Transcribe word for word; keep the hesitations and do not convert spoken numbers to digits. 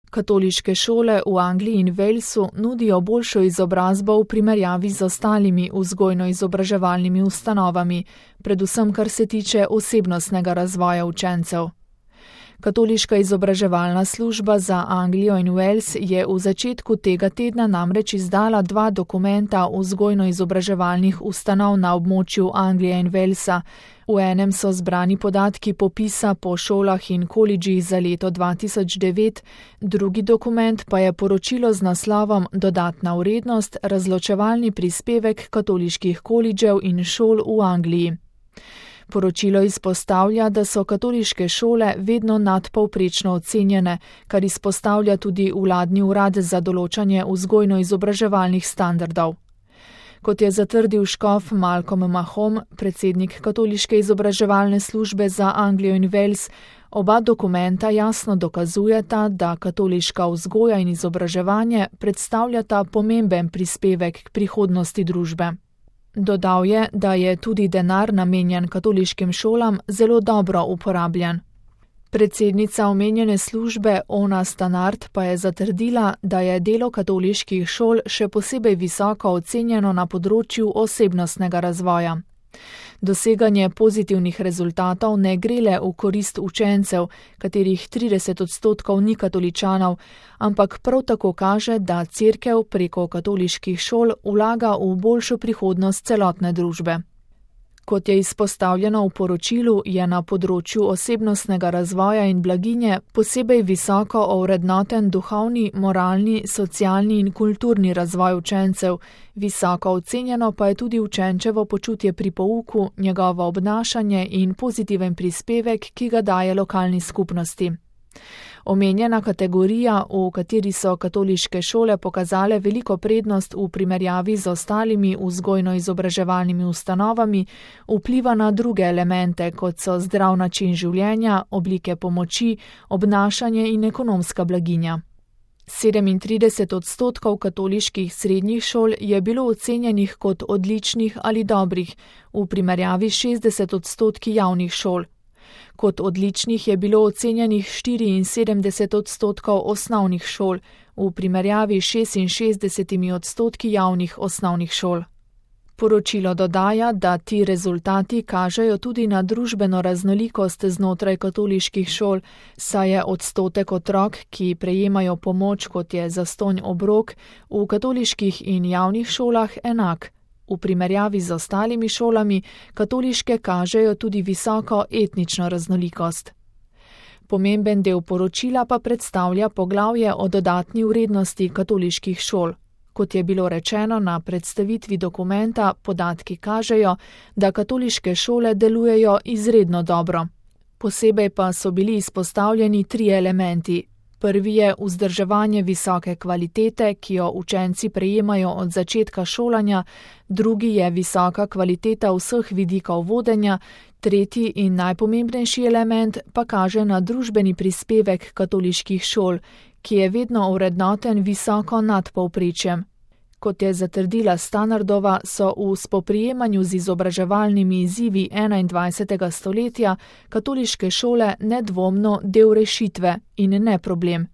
Katoliške šole v Angliji in Walesu nudijo boljšo izobrazbo v primerjavi z ostalimi vzgojno-izobraževalnimi ustanovami, predvsem kar se tiče osebnostnega razvoja učencev. Katoliška izobraževalna služba za Anglijo in Wales je v začetku tega tedna namreč izdala dva dokumenta vzgojno-izobraževalnih ustanov na območju Anglije in Walesa. V enem so zbrani podatki popisa po šolah in kolidžih za leto dva tisoč devet, drugi dokument pa je poročilo z naslovom Dodatna vrednost, razločevalni prispevek katoliških kolidžev in šol v Angliji. Poročilo izpostavlja, da so katoliške šole vedno nadpovprečno ocenjene, kar izpostavlja tudi vladni urad za določanje vzgojno-izobraževalnih standardov. Kot je zatrdil škof Malcolm Mahom, predsednik Katoliške izobraževalne službe za Anglijo in Wales, oba dokumenta jasno dokazujeta, da katoliška vzgoja in izobraževanje predstavljata pomemben prispevek k prihodnosti družbe. Dodal je, da je tudi denar namenjen katoliškim šolam zelo dobro uporabljen. Predsednica omenjene službe Ona Stannard pa je zatrdila, da je delo katoliških šol še posebej visoko ocenjeno na področju osebnostnega razvoja. Doseganje pozitivnih rezultatov ne gre le v korist učencev, katerih trideset odstotkov ni katoličanov, ampak prav tako kaže, da Cerkev preko katoliških šol vlaga v boljšo prihodnost celotne družbe. Kot je izpostavljeno v poročilu, je na področju osebnostnega razvoja in blaginje posebej visoko ovrednoten duhovni, moralni, socialni in kulturni razvoj učencev, visoko ocenjeno pa je tudi učenčevo počutje pri pouku, njegovo obnašanje in pozitiven prispevek, ki ga daje lokalni skupnosti. Omenjena kategorija, v kateri so katoliške šole pokazale veliko prednost v primerjavi z ostalimi vzgojno-izobraževalnimi ustanovami, vpliva na druge elemente, kot so zdrav način življenja, oblike pomoči, obnašanje in ekonomska blaginja. sedemintrideset odstotkov katoliških srednjih šol je bilo ocenjenih kot odličnih ali dobrih, v primerjavi s šestdeset odstotki javnih šol. Kot odličnih je bilo ocenjenih štiriinsedemdeset odstotkov osnovnih šol, v primerjavi s šestinšestdesetimi odstotki javnih osnovnih šol. Poročilo dodaja, da ti rezultati kažejo tudi na družbeno raznolikost znotraj katoliških šol, saj je odstotek otrok, ki prejemajo pomoč, kot je zastonj obrok, v katoliških in javnih šolah enak. V primerjavi z ostalimi šolami katoliške kažejo tudi visoko etnično raznolikost. Pomemben del poročila pa predstavlja poglavje o dodatni vrednosti katoliških šol. Kot je bilo rečeno na predstavitvi dokumenta, podatki kažejo, da katoliške šole delujejo izredno dobro. Posebej pa so bili izpostavljeni tri elementi. Prvi je vzdrževanje visoke kvalitete, ki jo učenci prejemajo od začetka šolanja, drugi je visoka kvaliteta vseh vidikov vodenja, tretji in najpomembnejši element pa kaže na družbeni prispevek katoliških šol, ki je vedno ovrednoten visoko nad povprečjem. Kot je zatrdila Stannardova, so v spoprijemanju z izobraževalnimi izzivi enaindvajsetega stoletja katoliške šole nedvomno del rešitve in ne problem.